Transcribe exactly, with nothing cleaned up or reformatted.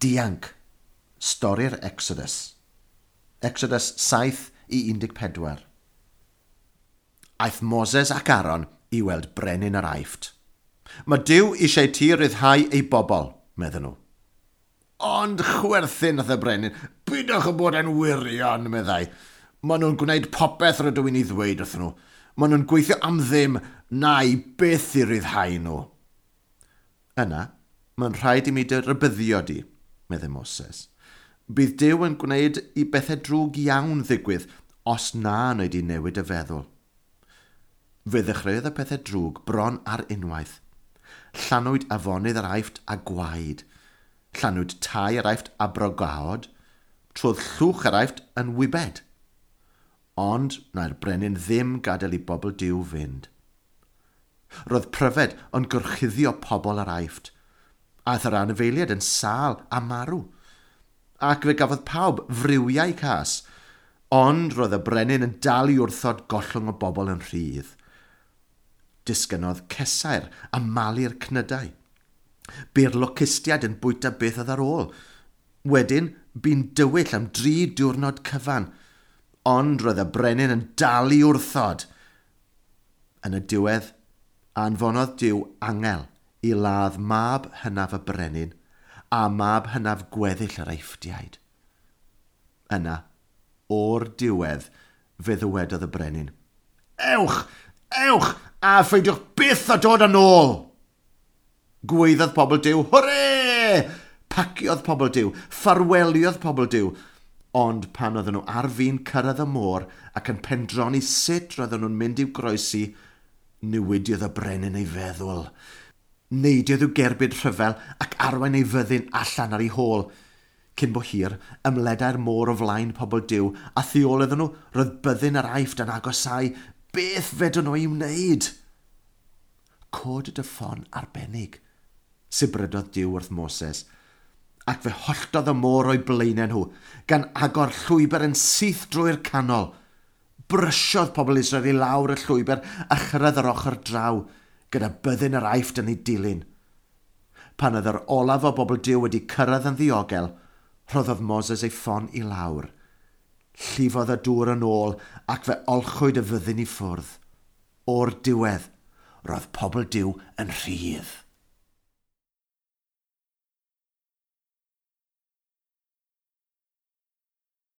Dianc. Stori'r Exodus. Exodus saith i un deg pedwar. Aeth Moses ac Aaron i weld brenin yr Aifft. Mae Duw eisiau ti ryddhau ei bobl, medden nhw. Ond chwerthin nath y brenin, pidwch yn bod yn wirion, meddai. Maen nhw'n gwneud popeth rydw i'n ei ddweud wrthyn nhw. Maen nhw'n gweithio am ddim, na i byth i ryddhau nhw. Yna, mae'n rhaid i mi dy rybuddio di, meddai Moses. Bydd Duw yn gwneud i bethau drwg iawn ddigwydd os na wneud i newid y feddwl. Fe ddechreuodd y pethau drwg bron ar unwaith. Llanwyd afonydd yr Aifft a gwaed. Llanwyd tai yr Aifft a brogaod. Trodd llwch yr Aifft yn wybed. Ond na'r brenin ddim gadael i bobl Duw fynd. Roedd pryfed yn gorchuddio pobl yr Aifft. Aeth yr anifeiliaid yn sâl a marw. Ac fe gafodd pawb friwiau cas. Ond roedd y brenin yn dal i wrthod gollwng o bobl yn rhydd. Disgynodd cesair a malu'r cnydau. Bu'r locustiaid yn bwyta beth oedd ar ôl. Wedyn, bu'n dywyll am dri diwrnod cyfan. Ond roedd y brenin yn dal i wrthod. Yn y diwedd, anfonodd Duw angel i ladd mab hynaf y brenin a mab hynaf gweddill yr Eifftiaid. Yna, o'r diwedd, fe ddywedodd y brenin, Ewch! Ewch! A pheidiwch byth â dod yn ôl! Gweiddodd pobl Duw, hwre! Paciodd pobl Duw, ffarweliodd pobl Duw. Ond pan oedden nhw ar fin cyrraedd y môr ac yn pendroni sut roedden nhw'n mynd i'w groesi, newidiodd y brenin ei feddwl. Neidiodd i'w gerbyd rhyfel ac arwain ei fyddin allan ar ei hôl. Cyn bo hir, ymledai'r môr o flaen pobl Duw, a thu ôl iddyn nhw roedd byddin yr Aifft yn agosáu. Beth fedrwn nhw ei wneud? Cod dy ffon arbennig, sibrydodd Duw wrth Moses, ac fe holltodd y môr o'i blaenau nhw, gan agor llwybr yn syth drwy'r canol. Brysiodd pobl Israel i lawr y llwybr a chyrraedd yr ochr draw, gyda byddin yr Aifft yn ei dilyn. Pan oedd yr olaf o bobl Duw wedi cyrraedd yn ddiogel, rhoddodd Moses ei ffon i lawr. Llifodd y dŵr yn ôl ac fe olchwyd y fyddin i ffwrdd. O'r diwedd, roedd pobl Duw yn rhydd.